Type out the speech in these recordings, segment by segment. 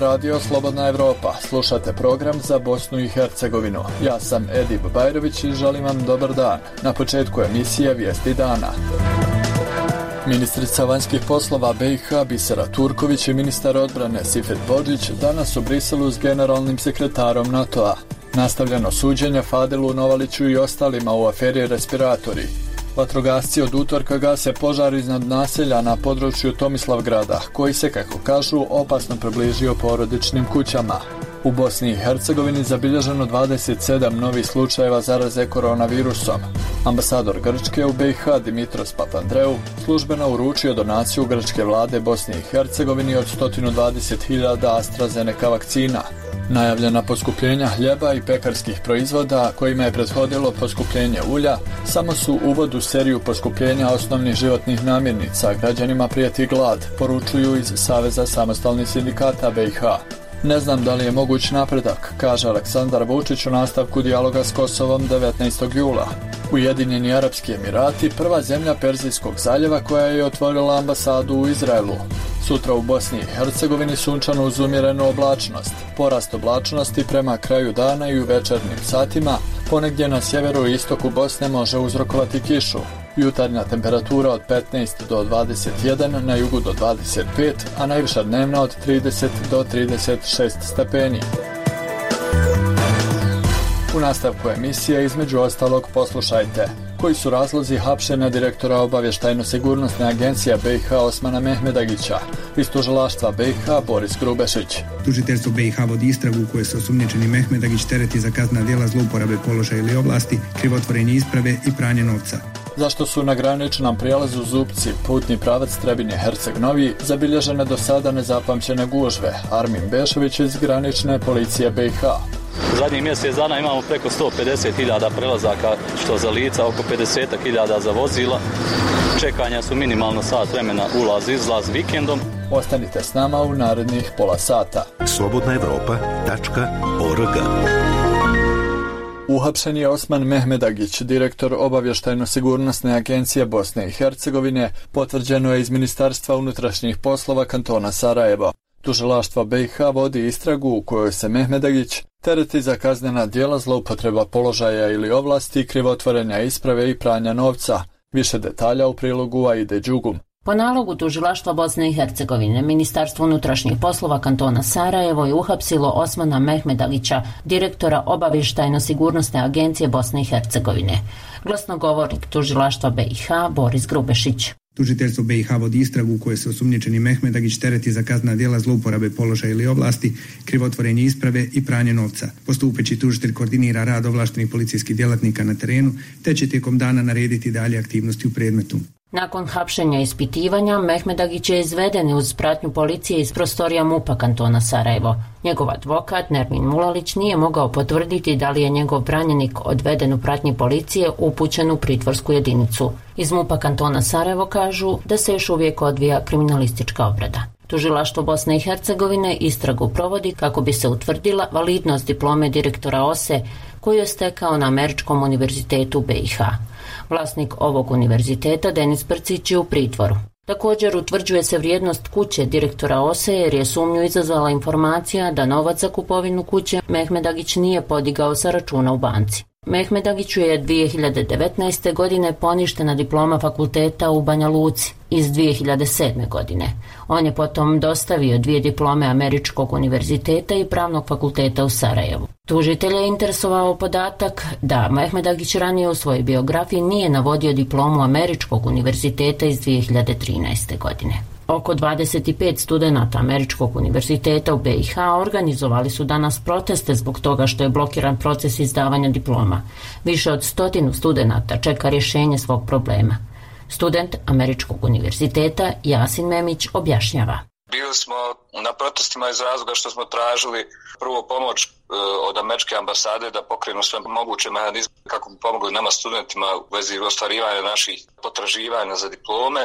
radio Slobodna Evropa. Slušate program za Bosnu i Hercegovinu. Ja sam Edip Bajrović i želim vam dobar dan. Na početku emisije Vijesti dana. Ministrica vanjskih poslova BiH Bisera Turković i ministar odbrane Sifet Bodžić danas u Briselu s generalnim sekretarom NATO-a. Nastavljeno suđenje Fadilu Novaliću i ostalima u aferi respiratori. Vatrogasci od utorka gase požar iznad naselja na području Tomislavgrada, koji se, kako kažu, opasno približio porodičnim kućama. U Bosni i Hercegovini zabilježeno 27 novih slučajeva zaraze koronavirusom. Ambasador Grčke u BiH Dimitros Papandreou službeno uručio donaciju grčke vlade Bosni i Hercegovini od 120.000 AstraZeneca vakcina. Najavljena poskupljenja hljeba i pekarskih proizvoda, kojima je prethodilo poskupljenje ulja, samo su uvod u seriju poskupljenja osnovnih životnih namirnica. Građanima prijeti glad, poručuju iz Saveza samostalnih sindikata BiH. Ne znam da li je moguć napredak, kaže Aleksandar Vučić u nastavku dijaloga s Kosovom 19. jula. Ujedinjeni Arapski Emirati, prva zemlja Perzijskog zaljeva koja je otvorila ambasadu u Izraelu. Sutra u Bosni i Hercegovini sunčano uz umjerenu oblačnost. Porast oblačnosti prema kraju dana i u večernjim satima ponegdje na sjeveru i istoku Bosne može uzrokovati kišu. Jutarnja temperatura od 15 do 21, na jugu do 25, a najviša dnevna od 30 do 36 stepeni. U nastavku emisije između ostalog poslušajte: koji su razlozi hapšenja direktora obavještajno-sigurnosne agencije BiH Osmana Mehmedagića, iz tužilaštva BiH Boris Grubešić. Tužiteljstvo BiH vodi istragu u kojoj se osumnjičeni Mehmedagić tereti za kaznena djela zlouporabe položaja ili ovlasti, krivotvorenje isprave i pranje novca. Zašto su na graničnom prijelazu Zupci, putni pravac Trebinje-Herceg Novi, zabilježene do sada nezapamćene gužve? Armin Bešović iz granične policije BiH. Zadnjih mjesec dana imamo preko 150.000 prelazaka, što za lica, oko 50.000 za vozila. Čekanja su minimalno sat vremena ulaz-izlaz vikendom. Ostanite s nama u narednih pola sata. slobodnaevropa.org. Uhapšen je Osman Mehmedagić, direktor obavještajno-sigurnosne agencije Bosne i Hercegovine, potvrđeno je iz Ministarstva unutrašnjih poslova kantona Sarajevo. Tužilaštvo BiH vodi istragu u kojoj se Mehmedagić tereti za kaznena djela zloupotreba položaja ili ovlasti, krivotvorenja isprave i pranja novca. Više detalja u prilogu Aide Đugum. Po nalogu tužilaštva Bosne i Hercegovine, Ministarstvo unutrašnjih poslova kantona Sarajevo je uhapsilo Osmana Mehmedagića, direktora obavještajno-sigurnosne agencije Bosne i Hercegovine. Glasnogovornik tužilaštva BiH Boris Grubešić. Tužiteljstvo BiH vodi istragu u kojoj se osumnjičeni Mehmedagić tereti za kaznena djela zlouporabe položaja ili ovlasti, krivotvorenje isprave i pranje novca. Postupeći tužitelj koordinira rad ovlaštenih policijskih djelatnika na terenu, te će tijekom dana narediti dalje aktivnosti u predmetu. Nakon hapšenja i ispitivanja, Mehmedagić je izveden uz pratnju policije iz prostorija MUP-a kantona Sarajevo. Njegov advokat Nermin Mulalić nije mogao potvrditi da li je njegov branjenik odveden u pratnji policije upućen u pritvorsku jedinicu. Iz MUP-a kantona Sarajevo kažu da se još uvijek odvija kriminalistička obrada. Tužilaštvo Bosne i Hercegovine istragu provodi kako bi se utvrdila validnost diplome direktora OSE koju je stekao na Američkom univerzitetu BiH. Vlasnik ovog univerziteta, Denis Brcić, je u pritvoru. Također utvrđuje se vrijednost kuće direktora OSE jer je sumnju izazvala informacija da novac za kupovinu kuće Mehmedagić nije podigao sa računa u banci. Mehmedagiću je 2019. godine poništena diploma fakulteta u Banja Luci iz 2007. godine. On je potom dostavio 2 diplome Američkog univerziteta i Pravnog fakulteta u Sarajevu. Tužitelj je interesovao podatak da Mehmedagić ranije u svojoj biografiji nije navodio diplomu Američkog univerziteta iz 2013. godine. Oko 25 studenata Američkog univerziteta u BiH organizovali su danas proteste zbog toga što je blokiran proces izdavanja diploma. Više od 100 studenata čeka rješenje svog problema. Student Američkog univerziteta Jasin Memić objašnjava. Bili smo na protestima iz razloga što smo tražili prvo pomoć od američke ambasade da pokrenu sve moguće mehanizme kako bi pomogli nama studentima u vezi ostvarivanja naših potraživanja za diplome.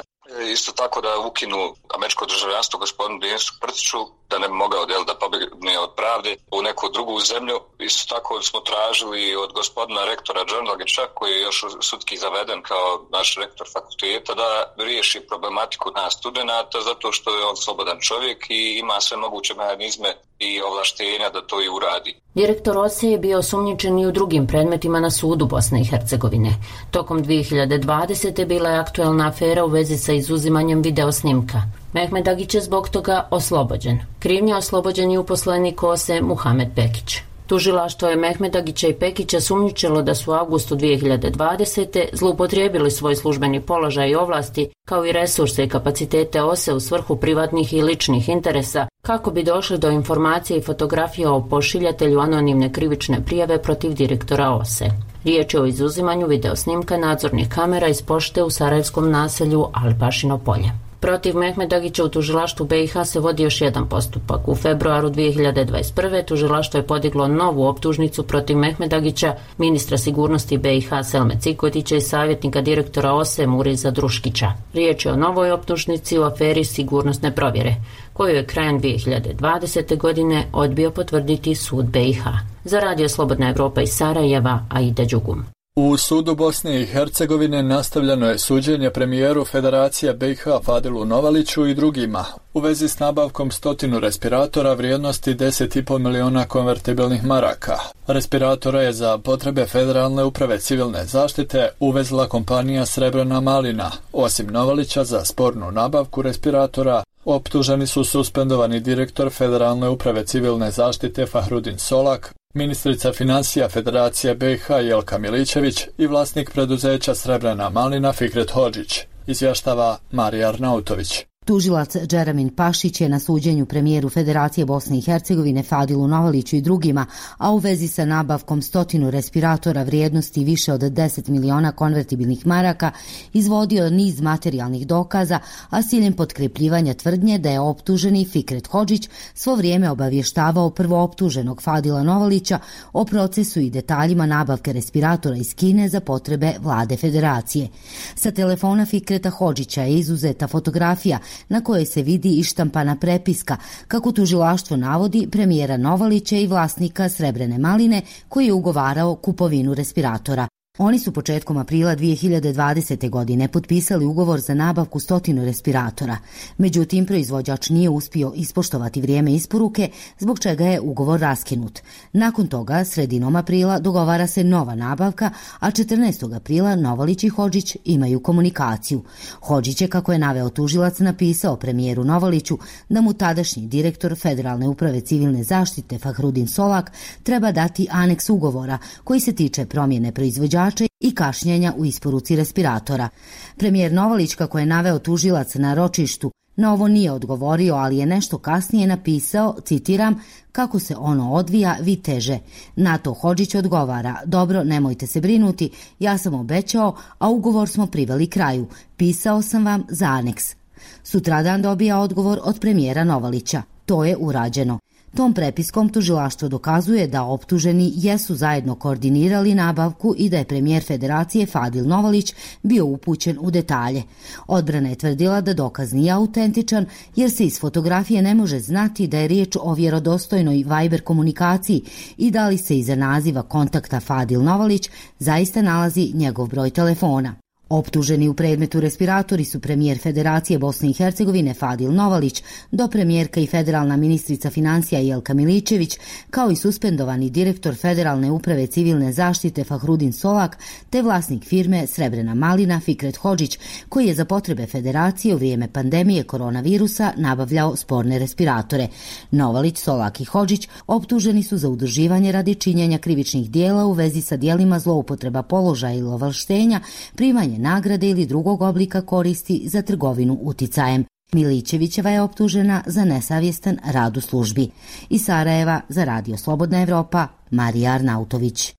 Isto tako da ukinu američko državljanstvo gospodinu Denisu Brciću, da ne bi mogao da pobjegne od pravde u neku drugu zemlju. Isto tako smo tražili od gospodina rektora Đorđevića, koji je još sudski zaveden kao naš rektor fakulteta, da riješi problematiku nas studenata, zato što je on slobodan čovjek i ima sve moguće mehanizme i ovlaštenja da to i uradi. Direktor OSE je bio osumnjičen i u drugim predmetima na sudu Bosne i Hercegovine. Tokom 2020. bila je aktuelna afera u vezi sa izuzimanjem videosnimka. Mehmed Agić je zbog toga oslobođen. Krivnje oslobođen je uposlenik OSE Muhamed Pekić. Tužilaštvo je Mehmed Agića i Pekića sumnjičilo da su u avgustu 2020. zloupotrijebili svoj službeni položaj i ovlasti, kao i resurse i kapacitete OSE u svrhu privatnih i ličnih interesa, kako bi došli do informacije i fotografija o pošiljatelju anonimne krivične prijave protiv direktora OSE. Riječ je o izuzimanju videosnimka nadzornih kamera iz pošte u sarajevskom naselju Alipašino polje. Protiv Mehmeda Agića u tužilaštvu BiH se vodi još jedan postupak. U februaru 2021. tužilaštvo je podiglo novu optužnicu protiv Mehmeda Agića, ministra sigurnosti BiH Selme Cikotića i savjetnika direktora OSE Muriza Druškića. Riječ je o novoj optužnici u aferi sigurnosne provjere, koju je krajem 2020. godine odbio potvrditi sud BiH. Za Radio Slobodna Evropa iz Sarajeva, Aida Đugum. U sudu Bosne i Hercegovine nastavljeno je suđenje premijeru Federacije BiH Fadilu Novaliću i drugima u vezi s nabavkom 100 respiratora vrijednosti 10,5 miliona konvertibilnih maraka. Respiratora je za potrebe Federalne uprave civilne zaštite uvezla kompanija Srebrena Malina. Osim Novalića za spornu nabavku respiratora optuženi su suspendovani direktor Federalne uprave civilne zaštite Fahrudin Solak, ministrica financija Federacije BiH Jelka Milićević i vlasnik preduzeća Srebrena Malina Fikret Hodžić, izvještava Marija Arnautović. Tužilac Džeramin Pašić je na suđenju premijeru Federacije Bosne i Hercegovine Fadilu Novaliću i drugima, a u vezi sa nabavkom 100 respiratora vrijednosti više od 10 miliona konvertibilnih maraka, izvodio niz materijalnih dokaza, a s ciljem potkrepljivanja tvrdnje da je optuženi Fikret Hodžić svo vrijeme obavještavao prvooptuženog Fadila Novalića o procesu i detaljima nabavke respiratora iz Kine za potrebe vlade Federacije. Sa telefona Fikreta Hodžića je izuzeta fotografija na kojoj se vidi i štampana prepiska, kako tužilaštvo navodi, premijera Novalića i vlasnika Srebrene Maline koji je ugovarao kupovinu respiratora. Oni su početkom aprila 2020. godine potpisali ugovor za nabavku 100 respiratora. Međutim, proizvođač nije uspio ispoštovati vrijeme isporuke, zbog čega je ugovor raskinut. Nakon toga, sredinom aprila dogovara se nova nabavka, a 14. aprila Novalić i Hodžić imaju komunikaciju. Hodžić je, kako je naveo tužilac, napisao premijeru Novaliću da mu tadašnji direktor Federalne uprave civilne zaštite Fahrudin Solak treba dati aneks ugovora koji se tiče promjene proizvođača i kašnjenja u isporuci respiratora. Premijer Novalić, kako je naveo tužilac na ročištu, na ovo nije odgovorio, ali je nešto kasnije napisao, citiram, kako se ono odvija, vi teže. Na to Hodžić odgovara, dobro, nemojte se brinuti, ja sam obećao, a ugovor smo priveli kraju. Pisao sam vam za aneks. Sutradan dobija odgovor od premijera Novalića. To je urađeno. Tom prepiskom tužilaštvo dokazuje da optuženi jesu zajedno koordinirali nabavku i da je premijer Federacije Fadil Novalić bio upućen u detalje. Odbrana je tvrdila da dokaz nije autentičan jer se iz fotografije ne može znati da je riječ o vjerodostojnoj Viber komunikaciji i da li se iza naziva kontakta Fadil Novalić zaista nalazi njegov broj telefona. Optuženi u predmetu respiratori su premijer Federacije Bosne i Hercegovine Fadil Novalić, dopremjerka i federalna ministrica financija Jelka Milićević, kao i suspendovani direktor Federalne uprave civilne zaštite Fahrudin Solak, te vlasnik firme Srebrena Malina Fikret Hodžić, koji je za potrebe Federacije u vrijeme pandemije koronavirusa nabavljao sporne respiratore. Novalić, Solak i Hodžić optuženi su za udruživanje radi činjenja krivičnih dijela u vezi sa dijelima zloupotreba položaja ili ovlaštenja, primanje nagrade ili drugog oblika koristi za trgovinu uticajem. Milićevićeva je optužena za nesavjestan rad u službi. Iz Sarajeva za Radio Slobodna Evropa, Marija Arnautović.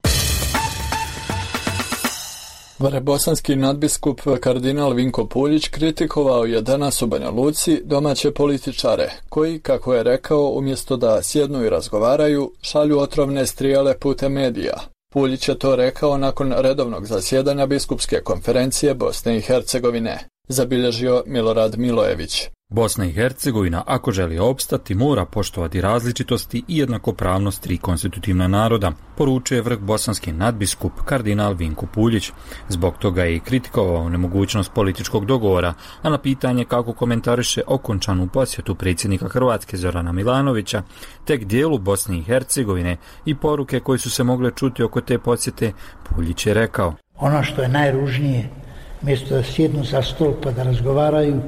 Vrebosanski nadbiskup kardinal Vinko Puljić kritikovao je danas u Banja Luci domaće političare, koji, kako je rekao, umjesto da sjednu i razgovaraju, šalju otrovne strijele putem medija. Puljić je to rekao nakon redovnog zasjedanja biskupske konferencije Bosne i Hercegovine, zabilježio Milorad Milojević. Bosna i Hercegovina, ako želi opstati, mora poštovati različitosti i jednakopravnost tri konstitutivna naroda, poručuje vrh bosanski nadbiskup kardinal Vinko Puljić. Zbog toga je i kritikovao nemogućnost političkog dogovora, a na pitanje kako komentariše okončanu posjetu predsjednika Hrvatske Zorana Milanovića, tek dijelu Bosne i Hercegovine i poruke koje su se mogle čuti oko te posjete, Puljić je rekao: ono što je najružnije, mjesto da sjednu za stol pa da razgovaraju,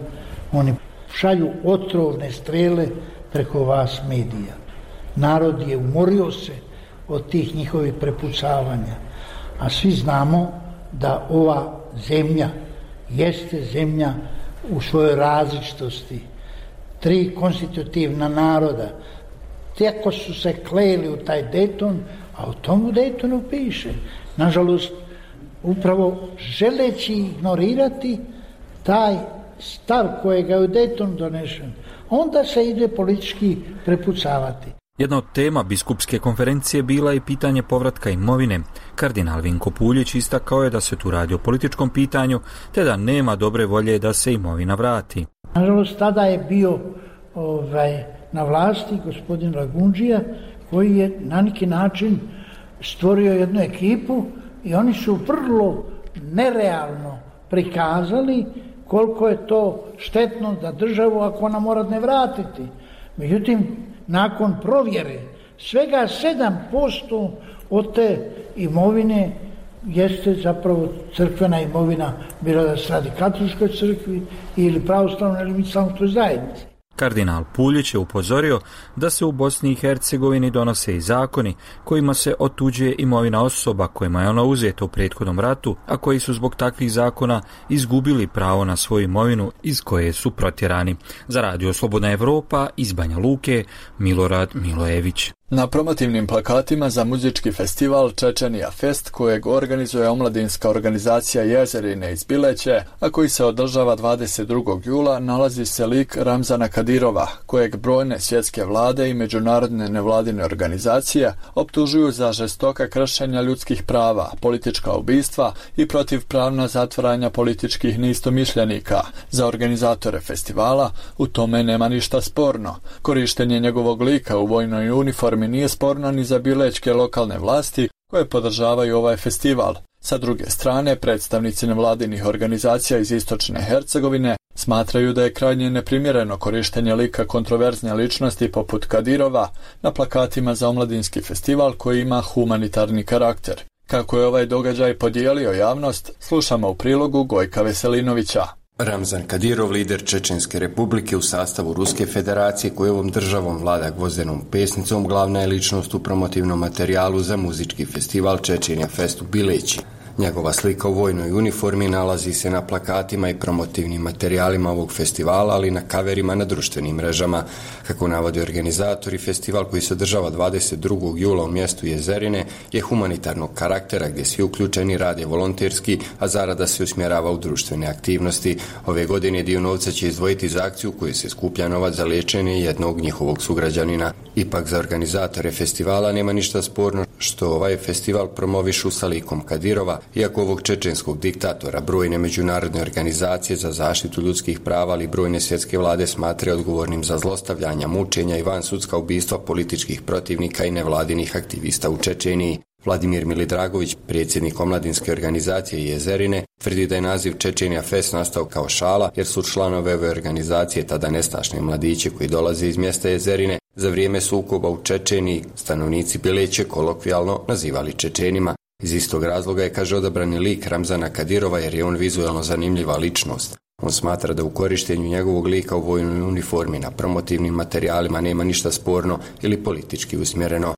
oni šalju otrovne strele preko vas medija. Narod je umorio se od tih njihovih prepucavanja, a svi znamo da ova zemlja jeste zemlja u svojoj različitosti. Tri konstitutivna naroda, tako su se kleli u taj Dayton, a u tomu Daytonu piše. Nažalost, upravo želeći ignorirati taj stav kojega je u Daytonu donešen, onda se ide politički prepucavati. Jedna od tema biskupske konferencije bila je pitanje povratka imovine. Kardinal Vinko Puljić istakao je da se tu radi o političkom pitanju, te da nema dobre volje da se imovina vrati. Nažalost, tada je bio na vlasti gospodin Lagundžija, koji je na neki način stvorio jednu ekipu i oni su vrlo nerealno prikazali koliko je to štetno za državu ako ona mora ne vratiti. Međutim, nakon provjere, svega 7% od te imovine jeste zapravo crkvena imovina, bilo da se radi katoličkoj crkvi ili pravoslavnoj ili islamskoj zajednici. Kardinal Puljić je upozorio da se u Bosni i Hercegovini donose i zakoni kojima se otuđuje imovina osoba kojima je ona uzeta u prethodnom ratu, a koji su zbog takvih zakona izgubili pravo na svoju imovinu iz koje su protjerani. Za Radio Slobodna Evropa iz Banja Luke, Milorad Milojević. Na promotivnim plakatima za muzički festival Čečenija Fest, kojeg organizuje omladinska organizacija Jezerine iz Bileće, a koji se održava 22. jula, nalazi se lik Ramzana Kadirova, kojeg brojne svjetske vlade i međunarodne nevladine organizacije optužuju za žestoka kršenja ljudskih prava, politička ubistva i protivpravna zatvaranja političkih neistomišljenika. Za organizatore festivala u tome nema ništa sporno. Korištenje njegovog lika u vojnoj uniformi nije sporno ni za bilećke lokalne vlasti koje podržavaju ovaj festival. Sa druge strane, predstavnici nevladinih organizacija iz istočne Hercegovine smatraju da je krajnje neprimjereno korištenje lika kontroverzne ličnosti poput Kadirova na plakatima za omladinski festival koji ima humanitarni karakter. Kako je ovaj događaj podijelio javnost, slušamo u prilogu Gojka Veselinovića. Ramzan Kadirov, lider Čečenske republike u sastavu Ruske federacije koji ovom državom vlada gvozdenom pesnicom, glavna je ličnost u promotivnom materijalu za muzički festival Čečenija Fest u Bileći. Njegova slika u vojnoj uniformi nalazi se na plakatima i promotivnim materijalima ovog festivala, ali i na kaverima na društvenim mrežama. Kako navode organizatori, festival koji se održava 22. jula u mjestu Jezerine je humanitarnog karaktera gdje svi uključeni rade volonterski, a zarada se usmjerava u društvene aktivnosti. Ove godine dio novca će izdvojiti za akciju koju se skuplja novac za liječenje jednog njihovog sugrađanina. Ipak za organizatore festivala nema ništa sporno što ovaj festival promovišu sa likom Kadirova, iako ovog čečenskog diktatora brojne međunarodne organizacije za zaštitu ljudskih prava, ali brojne svjetske vlade smatraju odgovornim za zlostavljanja, mučenja i vansudska ubistva političkih protivnika i nevladinih aktivista u Čečeniji. Vladimir Milidragović, predsjednik omladinske organizacije Jezerine, tvrdi da je naziv Čečenija Fest nastao kao šala, jer su članove ove organizacije tada nestašne mladiće koji dolaze iz mjesta Jezerine za vrijeme sukoba u Čečeniji stanovnici Bileće kolokvijalno nazivali Čečenima. Iz istog razloga je, kaže, odabrani lik Ramzana Kadirova jer je on vizualno zanimljiva ličnost. On smatra da u korištenju njegovog lika u vojnoj uniformi na promotivnim materijalima nema ništa sporno ili politički usmjereno.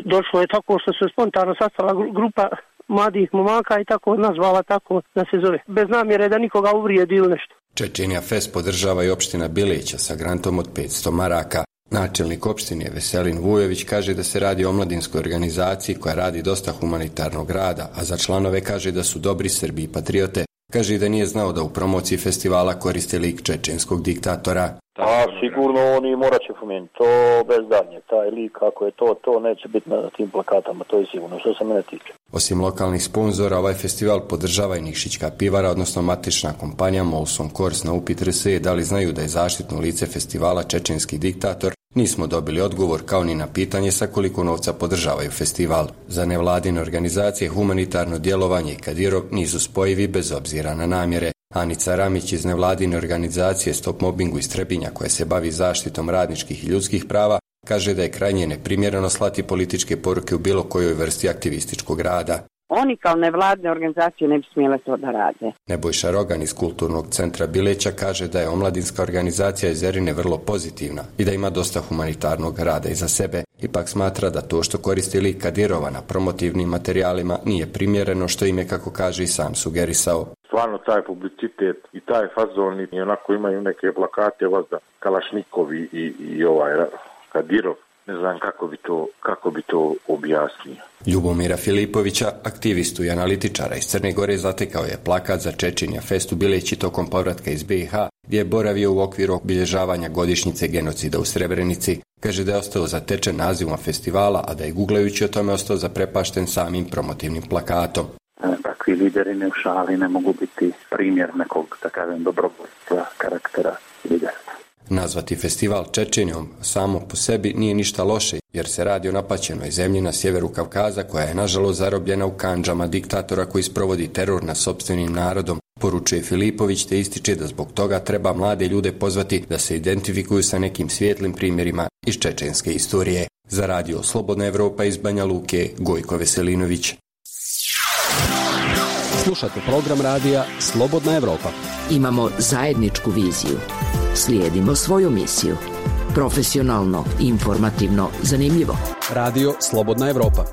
Došlo je tako što se spontano sastala grupa mladih momaka i tako nazvala tako da se zove. Bez namjere da nikoga uvrijedi ili nešto. Čečenija Fest podržava i opština Bileća sa grantom od 500 maraka. Načelnik opštine Veselin Vujović kaže da se radi o omladinskoj organizaciji koja radi dosta humanitarnog rada, a za članove kaže da su dobri Srbi i patriote. kaže da nije znao da u promociji festivala koriste lik čečenskog diktatora. A sigurno oni morat će pomenuti, to bez danje, taj lik ako je to neće biti na tim plakatama, to je sigurno, što se mene tiče. Osim lokalnih sponzora, ovaj festival podržava i Nikšićka pivara, odnosno matična kompanija Molson Coors. Na upit RSE da li znaju da je zaštitno lice festivala čečenski diktator, nismo dobili odgovor, kao ni na pitanje sa koliko novca podržavaju festival. Za nevladine organizacije humanitarno djelovanje i Kadirov nisu spojivi bez obzira na namjere. Anica Ramić iz nevladine organizacije Stop Mobbingu iz Trebinja, koja se bavi zaštitom radničkih i ljudskih prava, kaže da je krajnje neprimjereno slati političke poruke u bilo kojoj vrsti aktivističkog rada. Oni kao nevladne organizacije ne bi smjele to da rade. Nebojša Rogan iz Kulturnog centra Bileća kaže da je omladinska organizacija iz Zerine vrlo pozitivna i da ima dosta humanitarnog rada iza sebe. Ipak smatra da to što koristi lik Kadirova na promotivnim materijalima nije primjereno, što im je, kako kaže, i sam sugerisao. Stvarno taj publicitet i taj fazon i onako imaju neke plakate vazda Kalašnikovi i ovaj Kadirov. Ne znam kako bi to objasnio. Ljubomira Filipovića, aktivistu i analitičara iz Crne Gore, zatekao je plakat za Čečenja Fest u Bileći tokom povratka iz BiH, gdje je boravio u okviru obilježavanja godišnjice genocida u Srebrenici. Kaže da je ostao zatečen nazivom festivala, a da je guglajući o tome ostao zaprepašten samim promotivnim plakatom. Takvi lideri ne u šali ne mogu biti primjer nekog, da kažem, dobrovoljstva, karaktera lidera. Nazvati festival Čečenjom samo po sebi nije ništa loše, jer se radi o napaćenoj zemlji na sjeveru Kavkaza, koja je nažalost zarobljena u kandžama diktatora koji sprovodi teror nad sopstvenim narodom, poručuje Filipović, te ističe da zbog toga treba mlade ljude pozvati da se identifikuju sa nekim svijetlim primjerima iz čečenske istorije. Za radio Slobodna Evropa iz Banja Luke, Gojko Veselinović. Slušate program radija Slobodna Evropa. Imamo zajedničku viziju. Slijedimo svoju misiju. Profesionalno, informativno, zanimljivo. Radio Slobodna Evropa.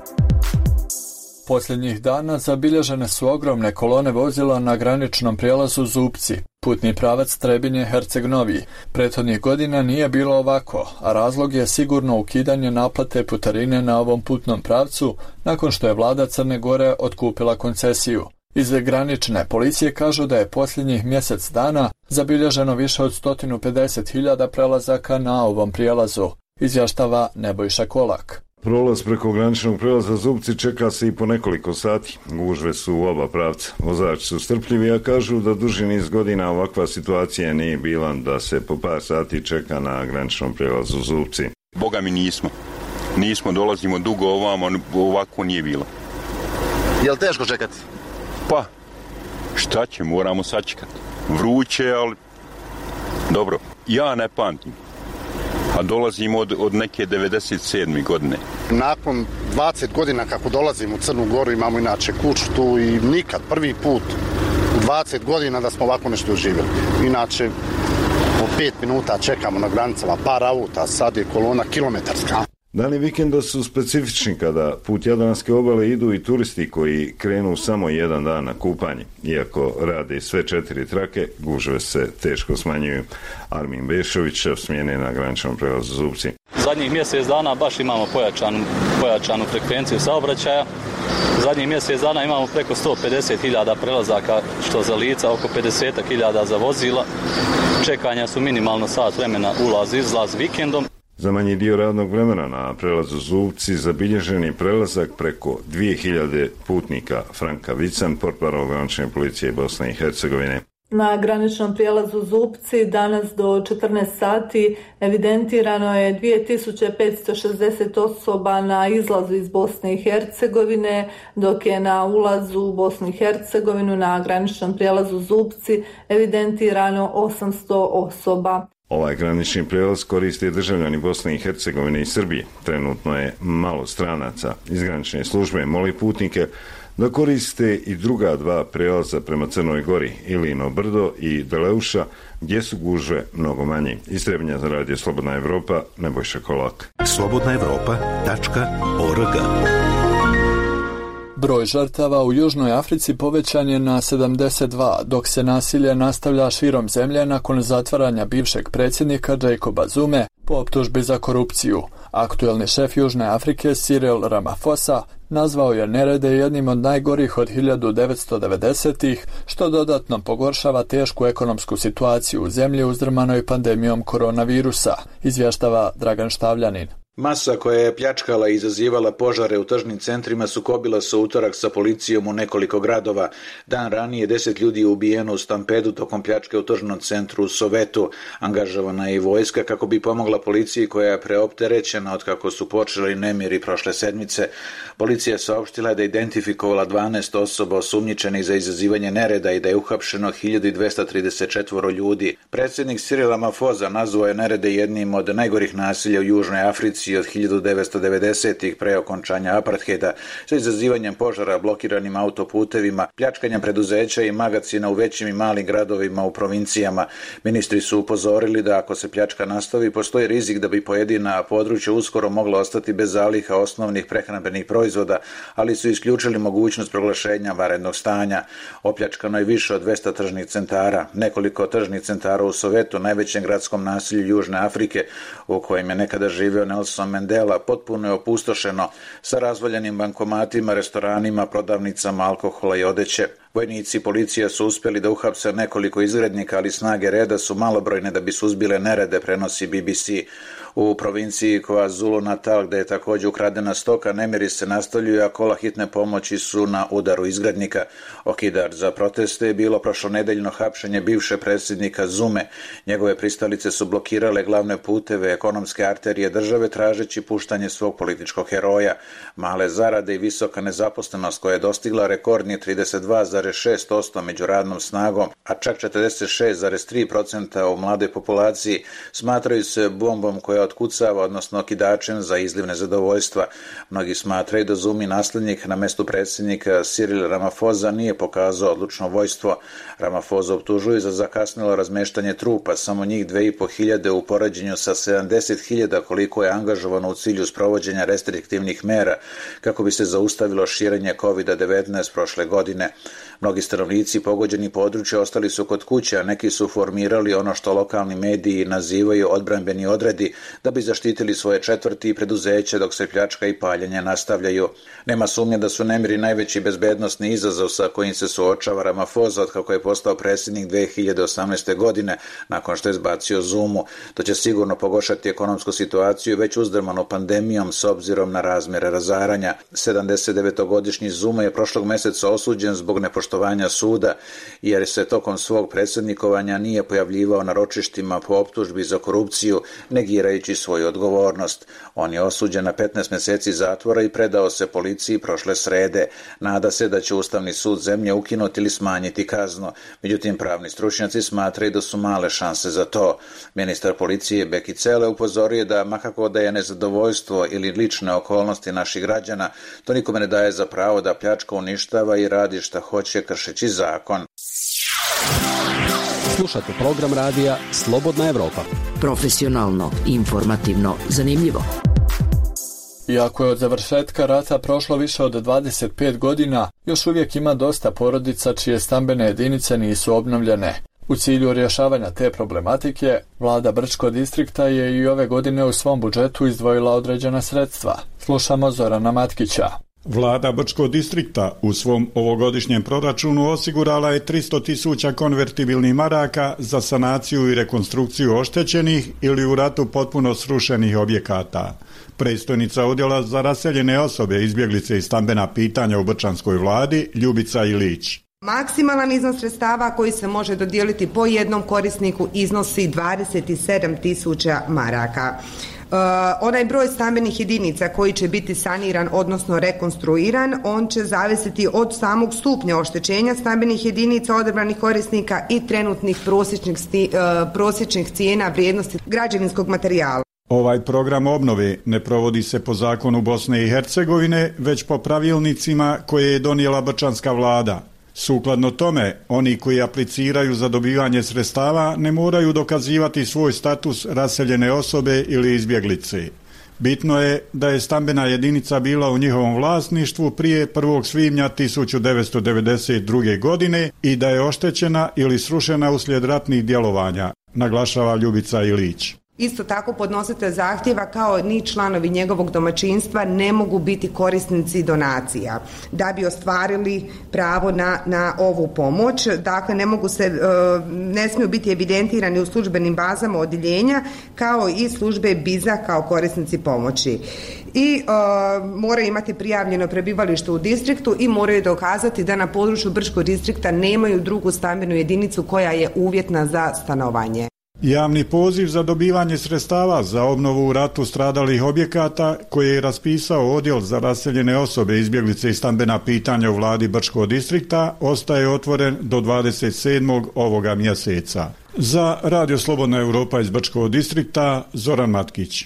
Posljednjih dana zabilježene su ogromne kolone vozila na graničnom prijelazu Zupci, putni pravac Trebinje-Herceg-Novi. Prethodnih godina nije bilo ovako, a razlog je sigurno ukidanje naplate putarine na ovom putnom pravcu nakon što je vlada Crne Gore otkupila koncesiju. Iz granične policije kažu da je posljednjih mjesec dana zabilježeno više od 150.000 prelazaka na ovom prijelazu, izvještava Nebojša Kolak. Prolaz preko graničnog prijelaza Zupci čeka se i po nekoliko sati. Gužve su u oba pravca. Vozači su strpljivi, a kažu da duži niz godina ovakva situacija nije bila, da se po par sati čeka na graničnom prijelazu Zupci. Boga mi nismo, dolazimo dugo ovamo, ovako nije bilo. Je li teško čekati? Pa, šta će, moramo sačekati. Vruće, ali dobro. Ja ne pamtim, a dolazim od neke 97. godine. Nakon 20 godina kako dolazim u Crnu Goru, imamo inače kuću tu i nikad, prvi put u 20 godina da smo ovako nešto doživjeli. Inače, po 5 minuta čekamo na granicama, par auta, sad je kolona kilometarska. Dani vikenda su specifični kada put Jadranske obale idu i turisti koji krenu samo jedan dan na kupanje. Iako rade sve 4 trake, gužve se teško smanjuju. Armin Bešović, šef smjene na graničnom prijelazu Zupci. Zadnjih mjesec dana baš imamo pojačanu frekvenciju saobraćaja. Zadnjih mjesec dana imamo preko 150.000 prelazaka, što za lica, oko 50.000 za vozila. Čekanja su minimalno sat vremena ulaz-izlaz vikendom. Za manji dio radnog vremena na prelazu Zupci zabilježen je prelazak preko 2000 putnika. Franka Vican, portparol granične policije Bosne i Hercegovine. Na graničnom prijelazu Zupci danas do 14 sati evidentirano je 2560 osoba na izlazu iz Bosne i Hercegovine, dok je na ulazu u Bosnu i Hercegovinu na graničnom prijelazu Zupci evidentirano 800 osoba. Ovaj granični prijelaz koriste državljani Bosne i Hercegovine i Srbije. Trenutno je malo stranaca. Iz granične službe moli putnike da koriste i druga dva prijelaza prema Crnoj Gori, Ilino Brdo i Deleuša, gdje su gužve mnogo manje. Iz Trebinja za radio Slobodna Evropa, Nebojša Kolak. slobodnaevropa.org. Broj žrtava u Južnoj Africi povećan je na 72, dok se nasilje nastavlja širom zemlje nakon zatvaranja bivšeg predsjednika Jacoba Zume po optužbi za korupciju, Aktuelni šef Južne Afrike Cyril Ramaphosa nazvao je nerede jednim od najgorih od 1990-ih, što dodatno pogoršava tešku ekonomsku situaciju u zemlji uzdrmanoj pandemijom koronavirusa, izvještava Dragan Štavljanin. Masa koja je pljačkala i izazivala požare u tržnim centrima sukobila se u utorak sa policijom u nekoliko gradova. Dan ranije 10 ljudi je ubijeno u stampedu tokom pljačke u tržnom centru u Sovetu. Angažovana je i vojska kako bi pomogla policiji koja je preopterećena od kako su počeli nemiri prošle sedmice. Policija je saopštila da je identifikovala 12 osoba osumnjičenih za izazivanje nereda i da je uhapšeno 1234 ljudi. Predsjednik Cyril Ramaphosa nazvao je nerede jednim od najgorih nasilja u Južnoj Africi od 1990-ih pre okončanja apartheida, sa izazivanjem požara, blokiranim autoputevima, pljačkanjem preduzeća i magacina u većim i malim gradovima u provincijama. Ministri su upozorili da ako se pljačka nastavi, postoji rizik da bi pojedina područja uskoro mogla ostati bez zaliha osnovnih prehrambenih proizvoda, ali su isključili mogućnost proglašenja vanrednog stanja. Opljačkano je više od 200 tržnih centara. Nekoliko tržnih centara u Sovetu, najvećem gradskom naselju Južne Afrike, u kojem je nekada živeo Nelson Mandela, potpuno je opustošeno sa razvaljenim bankomatima, restoranima, prodavnicama alkohola i odeće. Vojnici i policija su uspjeli da uhapse nekoliko izgrednika, ali snage reda su malobrojne da bi suzbile nerede, prenosi BBC. U provinciji KwaZulu Natal, gdje je također ukradena stoka, nemiri se nastavljuju, a kola hitne pomoći su na udaru izgrednika. Okidar za proteste je bilo prošlonedeljno hapšenje bivše predsjednika Zume. Njegove pristalice su blokirale glavne puteve, ekonomske arterije države, tražeći puštanje svog političkog heroja. Male zarade i visoka nezaposlenost koja je dostigla rekordni 32,6% među radnom snagom, a čak 46,3% u mlade populaciji, smatraju se bombom koja otkucava, odnosno okidačem za izliv nezadovoljstva. Mnogi smatraju da Zumi naslednik na mestu predsjednika Cyril Ramaphosa nije pokazao odlučno vojstvo. Ramaphosa optužuju za zakasnilo razmeštanje trupa, samo njih 2.500 u poređenju sa 70.000 koliko je angažovano u cilju sprovođenja restriktivnih mera kako bi se zaustavilo širenje COVID-19 prošle godine. Mnogi stanovnici pogođeni područja ostali su kod kuće, a neki su formirali ono što lokalni mediji nazivaju odbrambeni odredi da bi zaštitili svoje četvrti i preduzeće dok se pljačka i paljenje nastavljaju. Nema sumnje da su nemiri najveći bezbednosni izazov sa kojim se suočava Ramaphosa od kako je postao predsjednik 2018. godine nakon što je zbacio Zumu. To će sigurno pogoršati ekonomsku situaciju već uzdrmanu pandemijom s obzirom na razmjere razaranja. 79-godišnji Zuma je prošlog mjeseca osuđen zbog nepoštovanja suda jer se tokom svog predsjednikovanja nije pojavljivao na ročištima po optužbi za korupciju, negirajući svoju odgovornost. On je osuđen na 15 mjeseci zatvora i predao se policiji prošle srede. Nada se da će Ustavni sud zemlje ukinuti ili smanjiti kaznu. Međutim, pravni stručnjaci smatraju da su male šanse za to. Ministar policije Beki Cele upozorio da makako da je nezadovoljstvo ili lične okolnosti naših građana, to nikome ne daje za pravo da pljačka, uništava i radi šta hoće kršeći zakon. Slušate program radija Slobodna Evropa. Profesionalno, informativno, zanimljivo. Iako je od završetka rata prošlo više od 25 godina, još uvijek ima dosta porodica čije stambene jedinice nisu obnovljene. U cilju rješavanja te problematike, vlada Brčkog distrikta je i ove godine u svom budžetu izdvojila određena sredstva. Slušamo Zorana Matkića. Vlada Brčkog distrikta u svom ovogodišnjem proračunu osigurala je 300.000 konvertibilnih maraka za sanaciju i rekonstrukciju oštećenih ili u ratu potpuno srušenih objekata. Predstojnica odjela za raseljene osobe, izbjeglice i stambena pitanja u brčanskoj vladi, Ljubica Ilić. Maksimalan iznos sredstava koji se može dodijeliti po jednom korisniku iznosi 27.000 maraka. Onaj broj stambenih jedinica koji će biti saniran, odnosno rekonstruiran, on će zavisiti od samog stupnja oštećenja stambenih jedinica odabranih korisnika i trenutnih prosječnih cijena vrijednosti građevinskog materijala. Ovaj program obnove ne provodi se po zakonu Bosne i Hercegovine, već po pravilnicima koje je donijela brčanska vlada. Sukladno tome, oni koji apliciraju za dobivanje sredstava ne moraju dokazivati svoj status raseljene osobe ili izbjeglice. Bitno je da je stambena jedinica bila u njihovom vlasništvu prije 1. svibnja 1992. godine i da je oštećena ili srušena uslijed ratnih djelovanja, naglašava Ljubica Ilić. Isto tako podnositelj zahtjeva kao ni članovi njegovog domaćinstva ne mogu biti korisnici donacija da bi ostvarili pravo na ovu pomoć. Dakle, ne smiju biti evidentirani u službenim bazama odjeljenja kao i službe BIZ-a kao korisnici pomoći. I moraju imati prijavljeno prebivalište u distriktu i moraju dokazati da na području Brčkog distrikta nemaju drugu stambenu jedinicu koja je uvjetna za stanovanje. Javni poziv za dobivanje sredstava za obnovu u ratu stradalih objekata koje je raspisao Odjel za raseljene osobe, izbjeglice i stambena pitanja u vladi Brčkog distrikta ostaje otvoren do 27. ovoga mjeseca. Za Radio Slobodna Europa iz Brčkog distrikta, Zoran Matkić.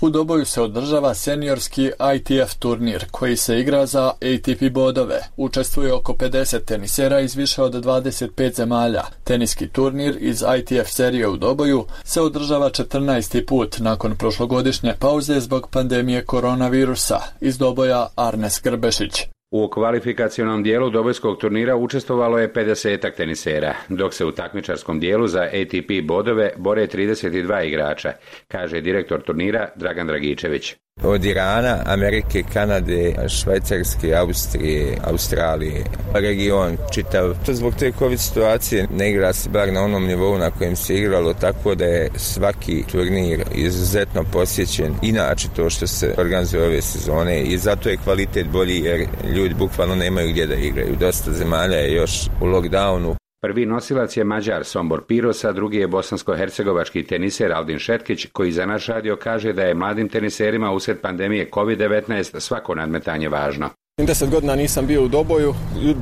U Doboju se održava seniorski ITF turnir koji se igra za ATP bodove. Učestvuje oko 50 tenisera iz više od 25 zemalja. Teniski turnir iz ITF serije u Doboju se održava 14. put nakon prošlogodišnje pauze zbog pandemije koronavirusa. Iz Doboja Arnes Grbešić. U kvalifikacionom dijelu dobojskog turnira učestvovalo je 50 tenisera, dok se u takmičarskom dijelu za ATP bodove bore 32 igrača, kaže direktor turnira Dragan Dragičević. Od Irana, Amerike, Kanade, Švajcarske, Austrije, Australije, region čitav. Zbog te COVID situacije ne igra se bar na onom nivou na kojem se igralo, tako da je svaki turnir izuzetno posjećen. Inače to što se organizuje ove sezone i zato je kvalitet bolji jer ljudi bukvalno nemaju gdje da igraju. Dosta zemalja je još u lockdownu. Prvi nosilac je Mađar Sombor Pirosa, drugi je bosansko-hercegovački teniser Aldin Šetkić, koji za naš radio kaže da je mladim teniserima usred pandemije COVID-19 svako nadmetanje važno. 10 godina nisam bio u Doboju,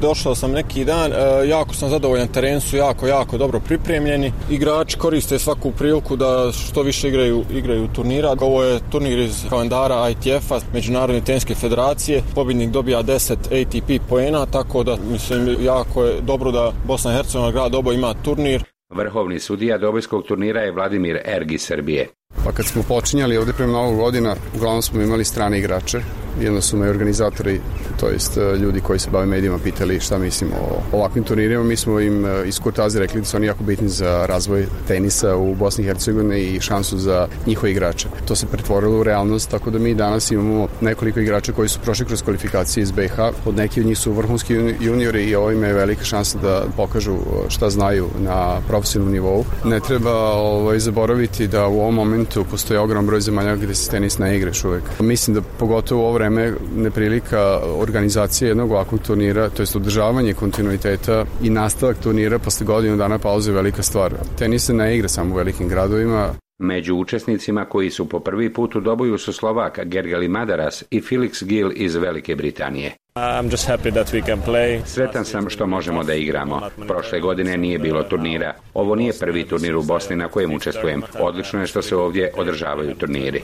došao sam neki dan, jako sam zadovoljan, teren su jako dobro pripremljeni. Igrači koriste svaku priliku da što više igraju turnira. Ovo je turnir iz kalendara ITF-a, Međunarodne teniske federacije. Pobjednik dobija 10 ATP poena, tako da mislim jako je dobro da Bosna i Hercegovina, grad Doboj ima turnir. Vrhovni sudija dobojskog turnira je Vladimir Ergi iz Srbije. Pa kad smo počinjali ovdje prema Novog godina, uglavnom smo imali strane igrače. Jedno su me organizatori, to jest ljudi koji se bave medijima, pitali šta mislim o ovakvim turnirima. Mi smo im iz kurtoazije rekli da su oni jako bitni za razvoj tenisa u Bosni i Hercegovini i šansu za njihove igrače. To se pretvorilo u realnost, tako da mi danas imamo nekoliko igrača koji su prošli kroz kvalifikacije iz BiH. Od neki od njih su vrhunski juniori i ovime je velika šansa da pokažu šta znaju na profesionalnom nivou. Ne treba zaboraviti da u ovom momentu postoji ogroman broj zemalja gdje se tenis ne igra još uvijek. Mislim da pogotovo u ovo vreme neprilika organizacije jednog ovakvog turnira, to jest održavanje kontinuiteta i nastavak turnira posle godinu dana pauze je velika stvar. Tenis se ne igra samo u velikim gradovima. Među učesnicima koji su po prvi put u Doboju su Slovak Gergely Madaras i Felix Gil iz Velike Britanije. Sretan sam što možemo da igramo. Prošle godine nije bilo turnira. Ovo nije prvi turnir u Bosni na kojem učestvujem. Odlično je što se ovdje održavaju turniri.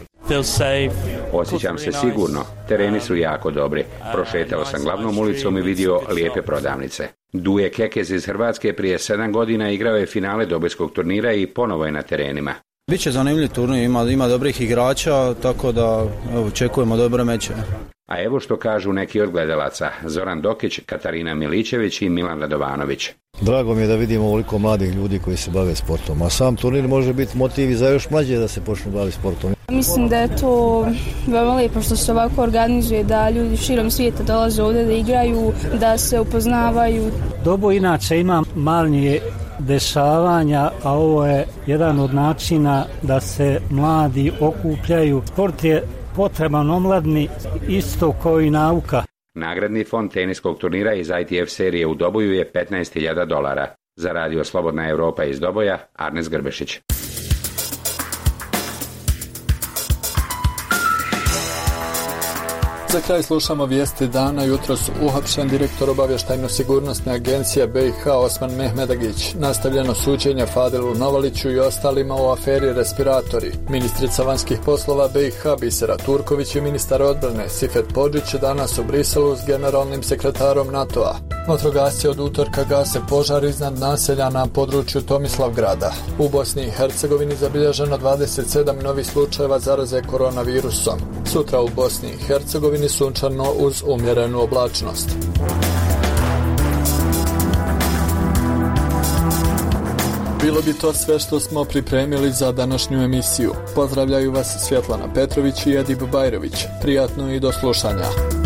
Osjećam se sigurno. Tereni su jako dobri. Prošetao sam glavnom ulicom i vidio lijepe prodavnice. Duje Kekez iz Hrvatske prije 7 godina igrao je finale dobojskog turnira i ponovo je na terenima. Biće zanimljiv turnir, ima dobrih igrača, tako da očekujemo dobre meče. A evo što kažu neki od gledalaca, Zoran Dokić, Katarina Miličević i Milan Radovanović. Drago mi je da vidimo ovoliko mladih ljudi koji se bave sportom, a sam turnir može biti motiv i za još mlađe da se počnu baviti sportom. Mislim da je to veoma lijepo što se ovako organizuje, da ljudi širom svijeta dolaze ovdje da igraju, da se upoznavaju. Doboj inače ima manje dešavanja, a ovo je jedan od načina da se mladi okupljaju. Sport je potreban omladni isto kao i nauka. Nagradni fond teniskog turnira iz ITF serije u Doboju je $15.000. Za Radio Slobodna Europa iz Doboja, Arnes Grbešić. Za kraj slušamo vijesti dana. Jutros uhapšen direktor obavještajno-sigurnosne agencije BiH Osman Mehmedagić. Nastavljeno suđenje Fadilu Novaliću i ostalima u aferi respiratori. Ministrica vanjskih poslova BiH Bisera Turković i ministar odbrane Sifet Podžić danas u Briselu s generalnim sekretarom NATO-a. Vatrogasci od utorka gase požar iznad naselja na području Tomislavgrada. U Bosni i Hercegovini zabilježeno 27 novih slučajeva zaraze koronavirusom. Sutra u Bosni i Hercegovini sunčano uz umjerenu oblačnost. Bilo bi to sve što smo pripremili za današnju emisiju. Pozdravljaju vas Svjetlana Petrović i Edip Bajrović. Prijatno i do slušanja.